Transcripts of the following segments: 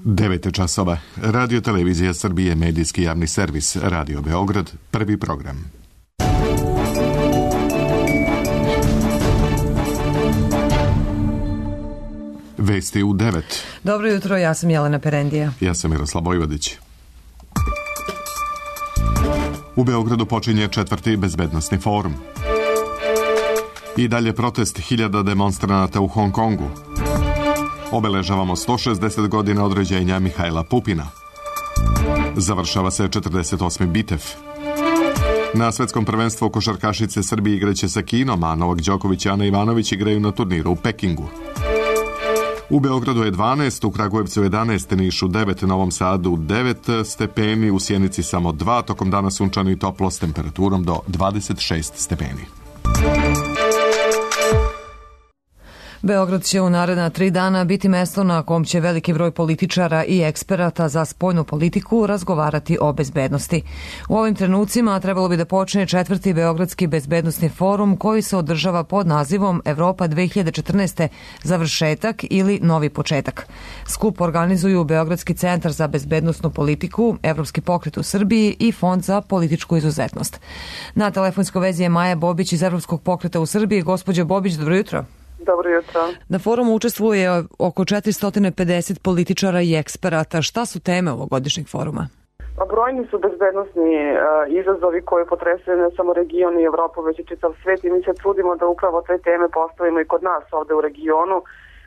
9 časova. Radio Televizija Srbije, medijski javni servis, Radio Beograd, prvi program. Vesti u 9. Dobro jutro, ja sam Jelena Perendija. Ja sam Miroslav Vojvodić. U Beogradu počinje 4. bezbednosni forum. I dalje protest 1000 demonstranata u Hong Kongu. Obeležavamo 160 godina od rođenja Mihajla Pupina. Završava se 48. bitev. Na svetskom prvenstvu košarkašice Srbije igraće sa Kinom, a Novak Đoković i Ana Ivanović igraju na turniru u Pekingu. U Beogradu je 12, u Kragujevcu 11, Nišu 9, Novom Sadu 9 stepeni, u Sjenici samo 2, tokom dana sunčano i toplo s temperaturom do 26 stepeni. Beograd će u naredna 3 dana biti mesto na kom će veliki broj političara i eksperata za spoljnu politiku razgovarati o bezbednosti. U ovim trenucima trebalo bi da počne 4. Beogradski bezbednosni forum koji se održava pod nazivom Evropa 2014. završetak ili novi početak. Skup organizuju Beogradski centar za bezbednosnu politiku, Evropski pokret u Srbiji i Fond za političku izuzetnost. Na telefonskoj vezi je Maja Bobić iz Evropskog pokreta u Srbiji. Gospođo Bobić, dobro jutro. Dobro jutro. Na forumu učestvuje oko 450 političara i eksperata. Šta su teme ovogodišnjeg foruma? Brojni su bezbednosni izazovi koji potresaju ne samo region i Evropu, već i čitav svet i mi se trudimo da upravo te teme postavimo i kod nas ovde u regionu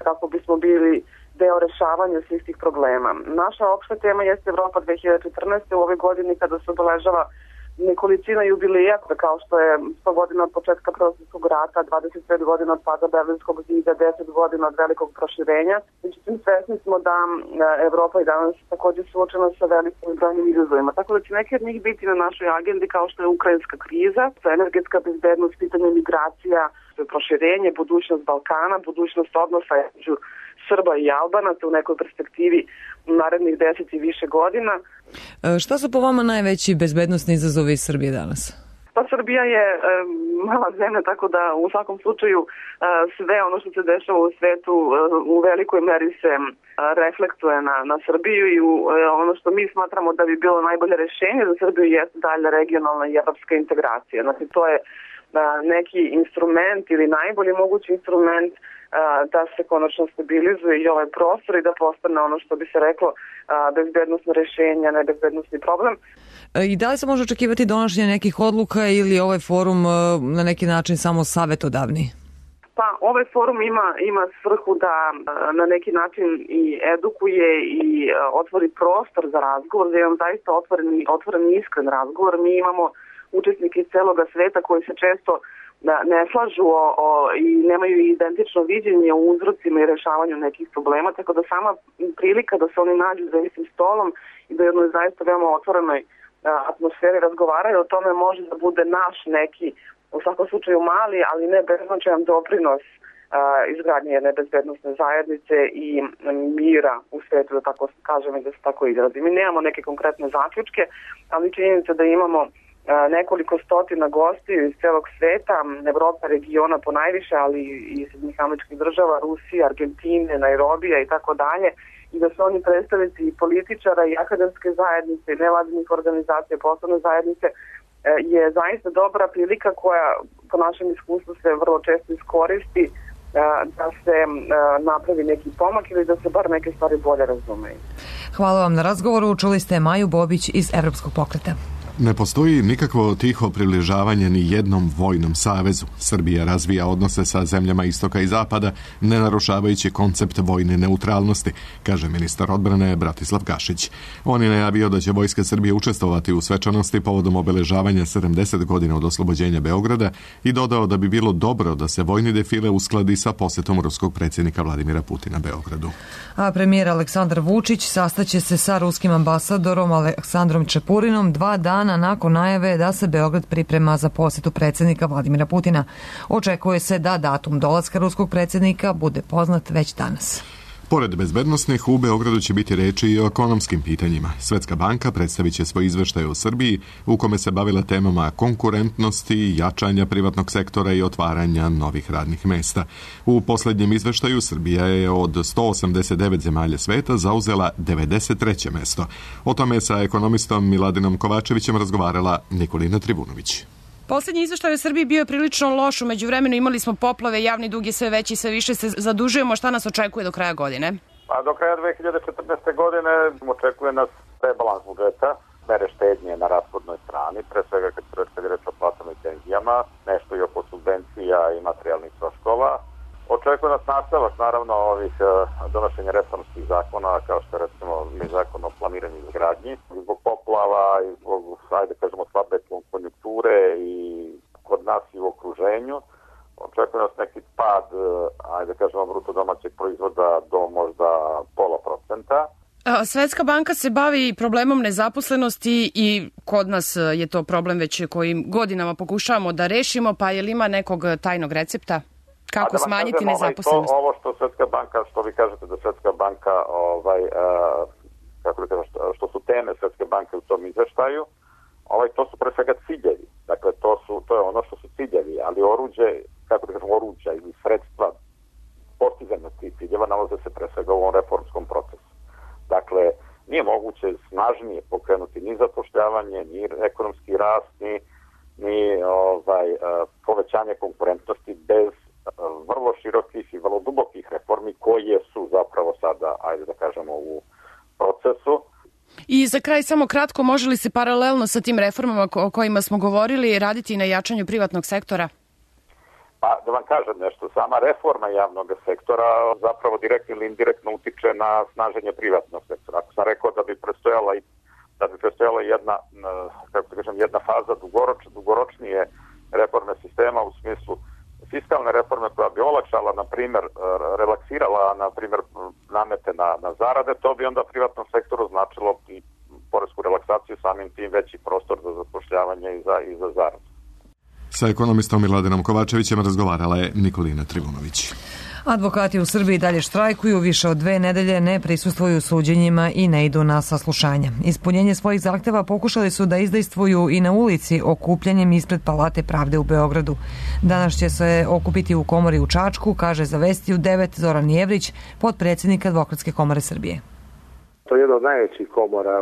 kako bismo bili deo rešavanja svih tih problema. Naša opšta tema jeste Evropa 2014. u ovoj godini kada se obeležava nekolicina jubileja, kao što je 100 godina od početka Prvog svjetskog rata, 25 godina od pada Berlinskog zida, 10 godina od velikog proširenja. Međutim, svesni smo da Evropa i danas također suočena sa velikim brojnim izazovima. Tako da će neki od njih biti na našoj agendi kao što je ukrajinska kriza, energetska bezbednost, pitanje migracija, proširenje, budućnost Balkana, budućnost odnosa između Srba i Albanaca u nekoj perspektivi narednih 10 i više godina. Šta su po vama najveći bezbednosni izazovi Srbije danas? Pa Srbija je mala zemlja, tako da u svakom slučaju sve ono što se dešava u svetu u velikoj meri se reflektuje na Srbiju i ono što mi smatramo da bi bilo najbolje rešenje za Srbiju jeste dalje regionalna i evropska integracija. Znači to je neki instrument ili najbolji mogući instrument da se konačno stabilizuje i ovaj prostor i da postane ono što bi se reklo bezbednosno rešenje, ne bezbednosni problem. I da li se može očekivati donošenje nekih odluka ili ovaj forum na neki način samo savetodavni? Pa ovaj forum ima svrhu da na neki način i edukuje i otvori prostor za razgovor, da imamo zaista otvoren i iskren razgovor. Mi imamo učesnike iz celoga sveta koji se često ne slažu i nemaju identično viđenje o uzrocima i rešavanju nekih problema, tako da sama prilika da se oni nađu za istim stolom i da jednoj zaista veoma otvorenoj atmosferi razgovaraju o tome može da bude naš neki, u svakom slučaju mali, ali ne beznačajan doprinos izgradnje jedne bezbednosne zajednice i mira u svetu, da tako kažem i da se tako izrazi. Mi nemamo neke konkretne zaključke, ali činjenica da imamo nekoliko stotina gostiju iz celog sveta, Evropa, regiona po najviše, ali i Sjedinjenih Američkih Država, Rusije, Argentine, Nairobija i tako dalje, i da su oni predstavnici i političara i akademske zajednice i nevladinih organizacija, poslovne zajednice, je zaista dobra prilika koja po našem iskustvu se vrlo često iskoristi da se napravi neki pomak ili da se bar neke stvari bolje razumeju. Hvala vam na razgovoru. Čuli ste Maju Bobić iz Evropskog pokreta. Ne postoji nikakvo tiho približavanje ni jednom vojnom savezu. Srbija razvija odnose sa zemljama istoka i zapada, ne narušavajući koncept vojne neutralnosti, kaže ministar odbrane Bratislav Gašić. On je najavio da će Vojska Srbije učestvovati u svečanosti povodom obeležavanja 70 godina od oslobođenja Beograda i dodao da bi bilo dobro da se vojni defile uskladi sa posetom ruskog predsjednika Vladimira Putina Beogradu. A premijer Aleksandar Vučić sastaće se sa ruskim ambasadorom Aleksandrom Čepurinom 2 dana nakon najave da se Beograd priprema za posjetu predsjednika Vladimira Putina. Očekuje se da datum dolaska ruskog predsjednika bude poznat već danas. Pored bezbednosnih, u Beogradu će biti reči i o ekonomskim pitanjima. Svetska banka predstavit će svoj izveštaj o Srbiji, u kome se bavila temama konkurentnosti, jačanja privatnog sektora i otvaranja novih radnih mesta. U poslednjem izveštaju Srbija je od 189 zemalja sveta zauzela 93. mesto. O tome sa ekonomistom Miladinom Kovačevićem razgovarala Nikolina Trivunović. Poslednji izveštaj o Srbiji bio je prilično loš. U međuvremenu imali smo poplave, javni dug je sve veći, sve više se zadužujemo. Šta nas očekuje do kraja godine? Do kraja 2014. godine očekuje nas rebalans budžeta, mere štednje na rashodnoj strani, pre svega kad je reč o platama i penzijama, nešto i oko subvencija i materijalnih troškova. Očekuje nas nastavak, naravno, ovih donošenja reformskih zakona, kao što je recimo zakon o planiranju i izgradnji. Zbog poplava i zbog, slabe konjunkture i kod nas i u okruženju, očekuje nas neki pad, bruto domaćeg proizvoda do možda 0,5%. Svetska banka se bavi problemom nezaposlenosti i kod nas je to problem već kojim godinama pokušavamo da rešimo, pa je li ima nekog tajnog recepta? Kako smanjiti nezaposlenost? Ovo što Svetska banka, što vi kažete da Svetska banka, što su teme Svetske banke u tom izveštaju, to su pre svega ciljevi. Dakle, to je ono što su ciljevi, ali oruđa ili sredstva postizanja tih ciljeva nalaze se pre svega u ovom reformskom procesu. Dakle, nije moguće snažnije pokrenuti ni zapošljavanje, ni ekonomski rast, ni povećanje konkurentnosti bez vrlo širokih i vrlo dubokih reformi koje su zapravo sada, u procesu. I za kraj samo kratko, može li se paralelno sa tim reformama o kojima smo govorili raditi na jačanju privatnog sektora? Pa da vam kažem nešto, sama reforma javnog sektora zapravo direktno ili indirektno utiče na snaženje privatnog sektora. Ako sam rekao da bi prestojala jedna faza dugoročnije reforme sistema u smislu fiskalne reforme koja bi olakšala, na primjer, relaksirala, na primjer, namete na zarade, to bi onda privatnom sektoru značilo i poresku relaksaciju, samim tim veći prostor za zapošljavanje i za zaradu. Sa ekonomistom Miladinom Kovačevićem razgovarala je Nikolina Trivunović. Advokati u Srbiji dalje štrajkuju, više od 2 nedelje ne prisustvuju suđenjima i ne idu na saslušanja. Ispunjenje svojih zahteva pokušali su da izdejstvuju i na ulici okupljanjem ispred Palate pravde u Beogradu. Danas će se okupiti u komori u Čačku, kaže za Vesti u 9 Zoran Jevrić, potpredsjednik Advokatske komore Srbije. To je jedna od najvećih komora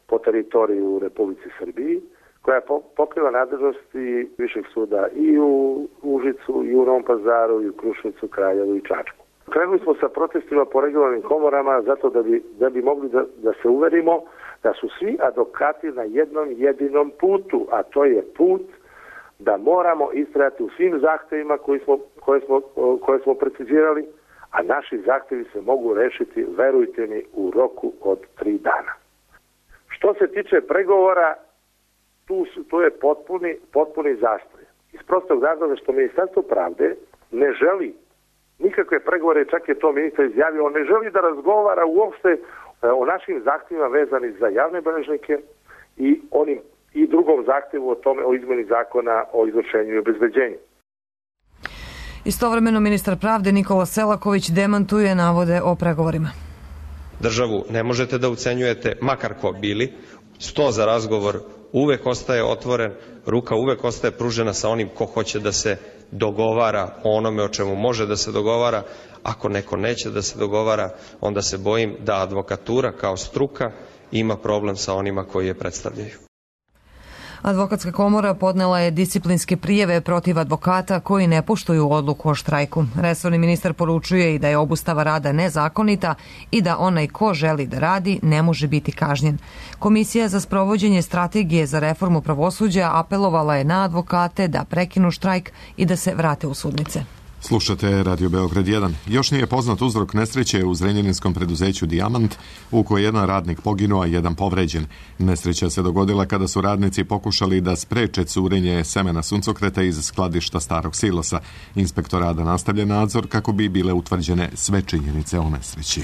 po teritoriji u Republici Srbiji, koja pokriva nadležnosti Višeg suda i u Užicu, i u Novom Pazaru, i u Kruševcu, Kraljevu i Čačku. Krenuli smo sa protestima po regionalnim komorama zato da bi mogli da se uverimo da su svi advokati na jednom jedinom putu, a to je put da moramo istrajati u svim zahtevima koje smo precizirali, a naši zahtevi se mogu rešiti, verujte mi, u roku od 3 dana. Što se tiče pregovora, tu je potpuni zastoj. Iz prostog razloga što Ministarstvo pravde ne želi nikakve pregovore, čak je to ministar izjavio, on ne želi da razgovara uopšte o našim zahtjevima vezani za javne beležnike i drugom zahtjevu o izmeni zakona o izvršenju i obezbeđenju. Istovremeno ministar pravde Nikola Selaković demantuje navode o pregovorima. Državu ne možete da ucenjujete, makar ko bili, sto za razgovor uvek ostaje otvoren, ruka uvek ostaje pružena sa onim ko hoće da se dogovara o onome o čemu može da se dogovara. Ako neko neće da se dogovara, onda se bojim da advokatura kao struka ima problem sa onima koji je predstavljaju. Advokatska komora podnela je disciplinske prijave protiv advokata koji ne poštuju odluku o štrajku. Resorni ministar poručuje i da je obustava rada nezakonita i da onaj ko želi da radi ne može biti kažnjen. Komisija za sprovođenje strategije za reformu pravosuđa apelovala je na advokate da prekinu štrajk i da se vrate u sudnice. Slušate Radio Beograd 1. Još nije poznat uzrok nesreće u zrenjaninskom preduzeću Dijamant, u kojoj jedan radnik poginuo, a jedan povređen. Nesreća se dogodila kada su radnici pokušali da spreče curenje semena suncokreta iz skladišta starog silosa. Inspektor rada nastavlja nadzor kako bi bile utvrđene sve činjenice o nesreći.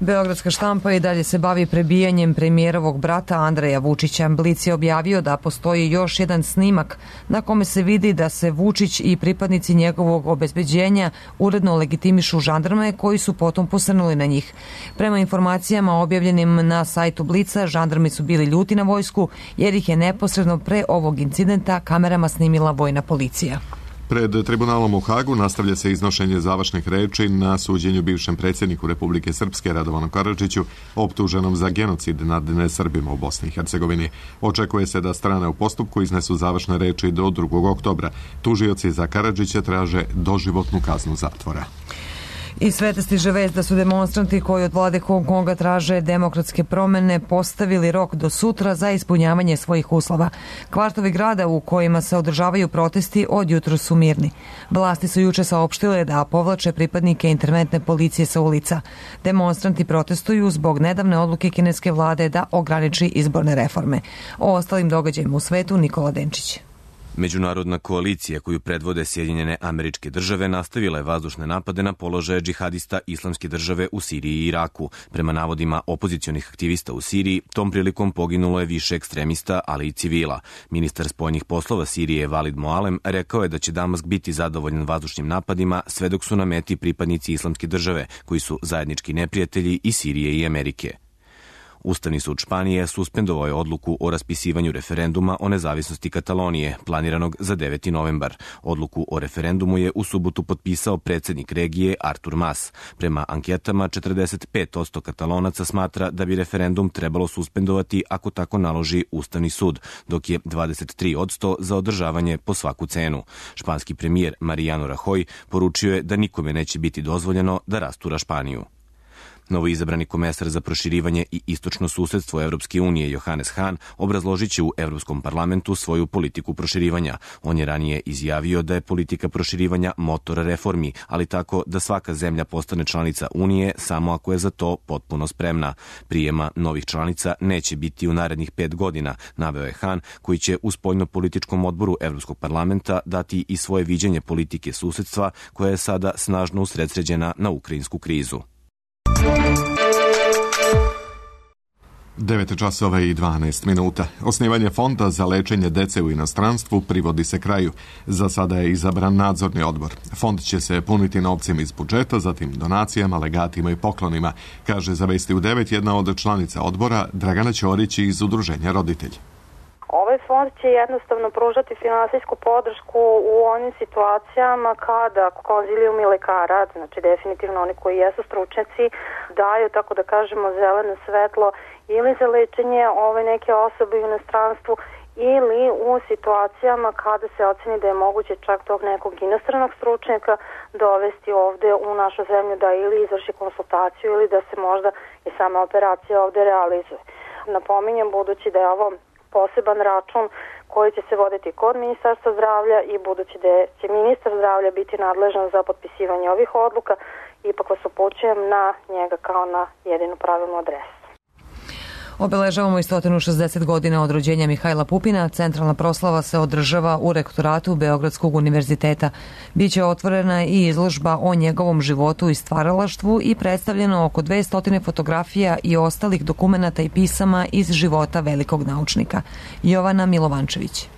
Beogradska štampa i dalje se bavi prebijanjem premijerovog brata Andreja Vučića. Blic je objavio da postoji još jedan snimak na kome se vidi da se Vučić i pripadnici njegovog obezbeđenja uredno legitimišu žandarme koji su potom posrnuli na njih. Prema informacijama objavljenim na sajtu Blica, žandarmi su bili ljuti na vojsku jer ih je neposredno pre ovog incidenta kamerama snimila vojna policija. Pred tribunalom u Hagu nastavlja se iznošenje završnih reči na suđenju bivšem predsjedniku Republike Srpske Radovanu Karadžiću, optuženom za genocid nad nesrbima u Bosni i Hercegovini. Očekuje se da strane u postupku iznesu završne reči do 2. oktobra. Tužioci za Karadžića traže doživotnu kaznu zatvora. I svete stiže vest da su demonstranti koji od vlade Hong Konga traže demokratske promene postavili rok do sutra za ispunjavanje svojih uslova. Kvartovi grada u kojima se održavaju protesti od jutros su mirni. Vlasti su juče saopštile da povlače pripadnike interventne policije sa ulica. Demonstranti protestuju zbog nedavne odluke kineske vlade da ograniči izborne reforme. O ostalim događajima u svetu Nikola Denčić. Međunarodna koalicija koju predvode Sjedinjene Američke Države nastavila je vazdušne napade na položaje džihadista Islamske države u Siriji i Iraku. Prema navodima opozicionih aktivista u Siriji, tom prilikom poginulo je više ekstremista, ali i civila. Ministar spoljnih poslova Sirije Valid Moalem rekao je da će Damask biti zadovoljan vazdušnim napadima sve dok su na meti pripadnici Islamske države, koji su zajednički neprijatelji i Sirije i Amerike. Ustavni sud Španije suspendovao je odluku o raspisivanju referenduma o nezavisnosti Katalonije, planiranog za 9. novembar. Odluku o referendumu je u subotu potpisao predsjednik regije Artur Mas. Prema anketama, 45% Katalonaca smatra da bi referendum trebalo suspendovati ako tako naloži Ustavni sud, dok je 23% za održavanje po svaku cenu. Španski premijer Mariano Rajoy poručio je da nikome neće biti dozvoljeno da rastura Španiju. Novoizabrani komesar za proširivanje i istočno susedstvo Evropske unije Johannes Hahn obrazložit će u Evropskom parlamentu svoju politiku proširivanja. On je ranije izjavio da je politika proširivanja motor reformi, ali tako da svaka zemlja postane članica Unije samo ako je za to potpuno spremna. Prijema novih članica neće biti u narednih 5 godina, naveo je Hahn, koji će u spoljno-političkom odboru Evropskog parlamenta dati i svoje viđenje politike susedstva koja je sada snažno usredsređena na ukrajinsku krizu. 9 časova i 12 minuta. Osnivanje fonda za lečenje dece u inostranstvu privodi se kraju. Za sada je izabran nadzorni odbor. Fond će se puniti novcem iz budžeta, zatim donacijama, legatima i poklonima, kaže za Vesti u 9 jedna od članica odbora Dragana Ćorić iz Udruženja Roditelj. Ovaj fond će jednostavno pružati finansijsku podršku u onim situacijama kada konzilijumi lekara, znači definitivno oni koji jesu stručnjaci, daju, tako da kažemo, zeleno svetlo ili za lečenje ove neke osobe u inostranstvu ili u situacijama kada se oceni da je moguće čak tog nekog inostranog stručnjaka dovesti ovde u našu zemlju da ili izvrši konsultaciju ili da se možda i sama operacija ovde realizuje. Napominjem, budući da je ovo poseban račun koji će se voditi kod Ministarstva zdravlja i budući da će ministar zdravlja biti nadležan za potpisivanje ovih odluka, ipak vas upućujem na njega kao na jedinu pravilnu adresu. Obeležavamo i 160 godina od rođenja Mihajla Pupina. Centralna proslava se održava u rektoratu Beogradskog univerziteta. Biće otvorena i izložba o njegovom životu i stvaralaštvu i predstavljeno oko 200 fotografija i ostalih dokumenata i pisama iz života velikog naučnika. Jovana Milovančević.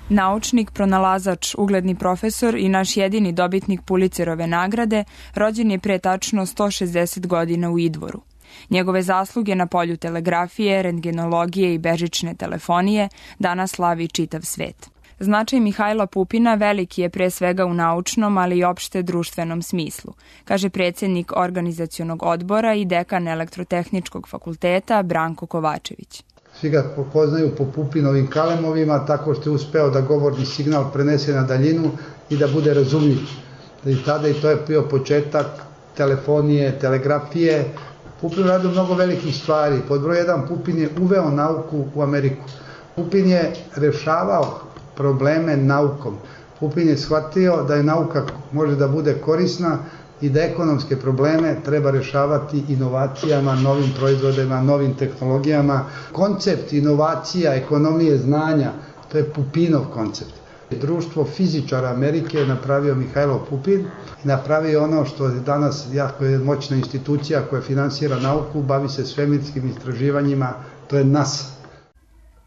Naučnik, pronalazač, ugledni profesor i naš jedini dobitnik Pulitzerove nagrade rođen je pre tačno 160 godina u Idvoru. Njegove zasluge na polju telegrafije, rentgenologije i bežične telefonije danas slavi čitav svet. Značaj Mihajla Pupina veliki je pre svega u naučnom, ali i opšte društvenom smislu, kaže predsjednik organizacionog odbora i dekan Elektrotehničkog fakulteta Branko Kovačević. Svi ga poznaju po Pupinovim kalemovima, tako što je uspeo da govorni signal prenese na daljinu i da bude razumljiv. I tada i to je bio početak telefonije, telegrafije. Pupin radio mnogo velikih stvari. Pod broj 1, Pupin je uveo nauku u Ameriku. Pupin je rešavao probleme naukom. Pupin je shvatio da je nauka može da bude korisna i da ekonomske probleme treba rešavati inovacijama, novim proizvodima, novim tehnologijama. Koncept inovacija, ekonomije znanja, to je Pupinov koncept. Društvo fizičara Amerike je napravio Mihajlo Pupin i napravio ono što je danas jako moćna institucija koja finansira nauku, bavi se svemirskim istraživanjima, to je NASA.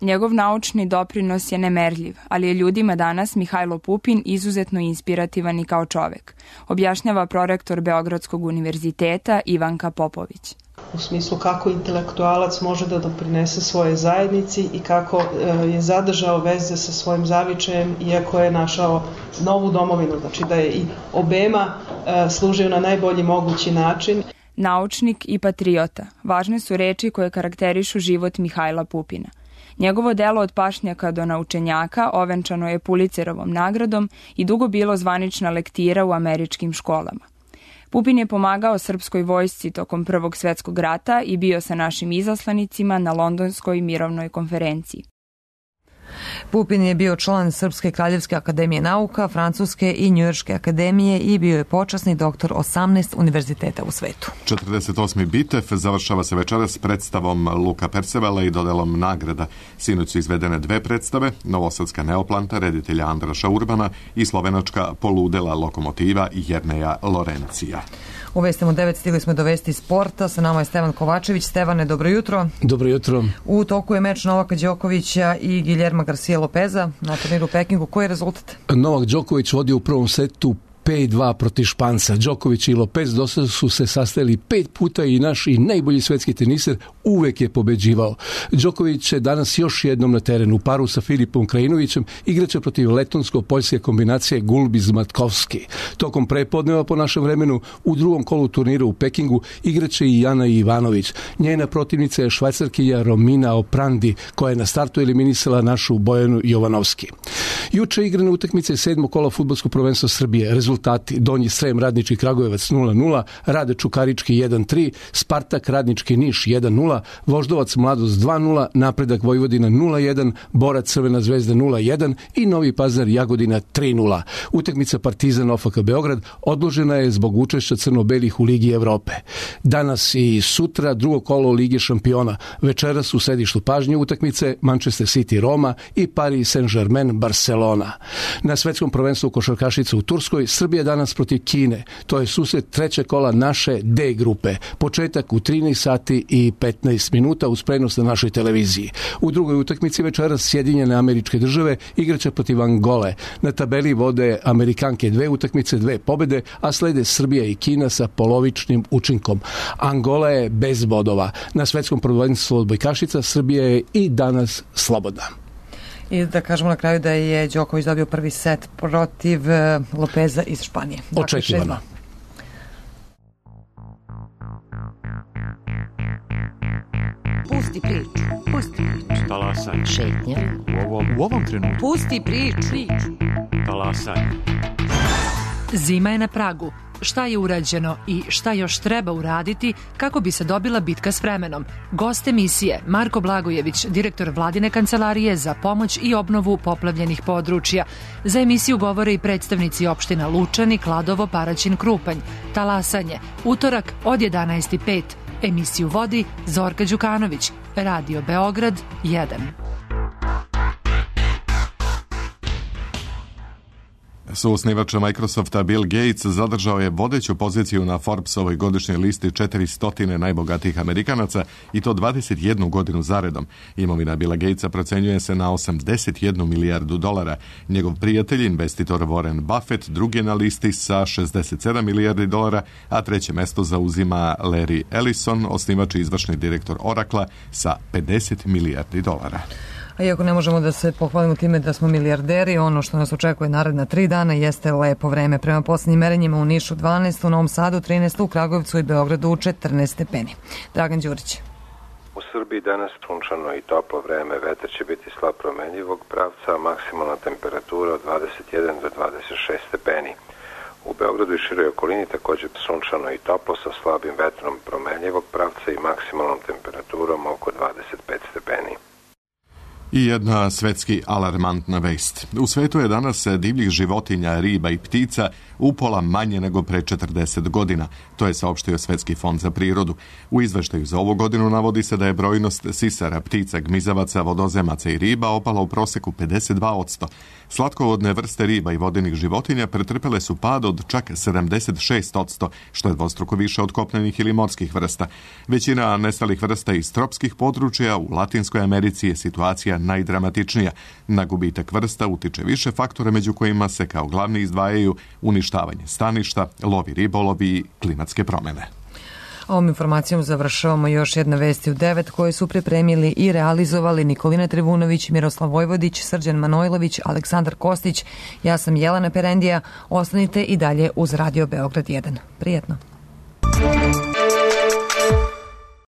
Njegov naučni doprinos je nemerljiv, ali je ljudima danas Mihajlo Pupin izuzetno inspirativan i kao čovek, objašnjava prorektor Beogradskog univerziteta Ivanka Popović. U smislu kako intelektualac može da doprinese svoje zajednici i kako je zadržao veze sa svojim zavičajem iako je našao novu domovinu, znači da je i obema služio na najbolji mogući način. Naučnik i patriota, važne su reči koje karakterišu život Mihajla Pupina. Njegovo delo od pašnjaka do naučenjaka ovenčano je Pulitzerovom nagradom i dugo bilo zvanična lektira u američkim školama. Pupin je pomagao srpskoj vojsci tokom Prvog svjetskog rata i bio sa našim izaslanicima na Londonskoj mirovnoj konferenciji. Pupin je bio član Srpske kraljevske akademije nauka, Francuske i Njujorške akademije i bio je počasni doktor 18 univerziteta u svetu. 48. bitev završava se večeras s predstavom Luka Percevala i dodelom nagrada. Sinoć su izvedene dve predstave, novosadska Neoplanta reditelja Andraša Urbana i slovenačka Poludela lokomotiva Jerneja Lorencija. U vestima 9 stigli smo do vesti sporta. Sa nama je Stevan Kovačević. Stevane, dobro jutro. Dobro jutro. U toku je meč Novaka Đokovića i Guillerma Garcia Lopeza na turniru u Pekingu. Koji je rezultat? Novak Đoković vodi u prvom setu 5-2 protiv Španca. Đoković i Lopez dosad su se sastajali 5 puta i naš i najbolji svetski teniser uvek je pobeđivao. Đoković je danas još jednom na terenu. U paru sa Filipom Krajinovićem igraće protiv letonsko-poljske kombinacije Gulbiz-Matkovski. Tokom prepodneva po našem vremenu u drugom kolu turnira u Pekingu igraće i Jana Ivanović. Njena protivnica je Švajcarkinja Romina Oprandi koja je na startu eliminisala našu Bojanu Jovanovski. Juče igrane utakmice 7. kola fudbalskog prvenstva Srbije. Rezultati: Donji Srem Radnički Kragujevac 0-0, Rade Čukarički 1-3, Spartak Radnički Niš 1-0, Voždovac Mladost 2-0, Napredak Vojvodina 0-1, Borac Crvena zvezda 0-1 i Novi Pazar Jagodina 3-0. Utakmica Partizan OFK Beograd odložena je zbog učešća crno-belih u Ligi Evrope. Danas i sutra drugo kolo Lige šampiona. Večeras u sedištu pažnje utakmice Manchester City Roma i Paris Saint-Germain Barcelona. Na svetskom prvenstvu košarkašica u Turskoj Srbija danas protiv Kine. To je susret trećeg kola naše D grupe. Početak u 13 sati i 15 minuta uz prenos na našoj televiziji. U drugoj utakmici večeras Sjedinjene Američke Države igraće protiv Angole. Na tabeli vode Amerikanke 2 utakmice, 2 pobede, a slede Srbija i Kina sa polovičnim učinkom. Angola je bez bodova. Na svetskom prvenstvu odbojkašica Srbija je i danas slobodna. I da kažemo na kraju da je Đoković dobio prvi set protiv Lopeza iz Španije. Očekivano. Pusti priču. Pusti priču. Talasaj. Šetnja. U ovom trenutku. Pusti priču. Talasaj. Zima je na pragu. Šta je urađeno i šta još treba uraditi kako bi se dobila bitka s vremenom? Gost emisije Marko Blagojević, direktor Vladine kancelarije za pomoć i obnovu poplavljenih područja. Za emisiju govore i predstavnici opština Lučani, Kladovo, Paraćin, Krupanj. Talasanje, utorak od 11:05. Emisiju vodi Zorka Đukanović. Radio Beograd 1. Suosnivač Microsofta Bill Gates zadržao je vodeću poziciju na Forbesovoj godišnjoj listi 400 najbogatijih Amerikanaca i to 21 godinu zaredom. Imovina Billa Gatesa procenjuje se na 81 milijardu dolara. Njegov prijatelj, investitor Warren Buffett, drugi je na listi sa 67 milijardi dolara, a treće mesto zauzima Larry Ellison, osnivač i izvršni direktor Oracle sa 50 milijardi dolara. A iako ne možemo da se pohvalimo time da smo milijarderi, ono što nas očekuje naredna 3 dana jeste lepo vreme. Prema posljednjim merenjima u Nišu 12, u Novom Sadu 13, u Kragujevcu i Beogradu 14 stepeni. Dragan Đurić. U Srbiji danas sunčano i toplo vreme, vetar će biti slab promenljivog pravca, a maksimalna temperatura od 21 do 26 stepeni. U Beogradu i široj okolini također sunčano i toplo sa slabim vetrom promenljivog pravca i maksimalnom temperaturom oko 25 stepeni. I jedna svetski alarmantna vest. U svetu je danas divljih životinja, riba i ptica upola manje nego pre 40 godina. To je saopštio Svetski fond za prirodu. U izveštaju za ovu godinu navodi se da je brojnost sisara, ptica, gmizavaca, vodozemaca i riba opala u proseku 52%. Slatkovodne vrste riba i vodenih životinja pretrpele su pad od čak 76%, što je dvostruko više od kopnenih ili morskih vrsta. Većina nestalih vrsta iz tropskih područja u Latinskoj Americi je situacija najdramatičnija. Na gubitak vrsta utiče više faktora, među kojima se kao glavni izdvajaju uništavanje staništa, lovi ribolov i klimatske promjene. Ovom informacijom završavamo još jedna vesti u 9 koje su pripremili i realizovali Nikolina Trivunović, Miroslav Vojvodić, Srđan Manojlović, Aleksandar Kostić. Ja sam Jelena Perendija. Ostanite i dalje uz Radio Beograd 1. Prijetno.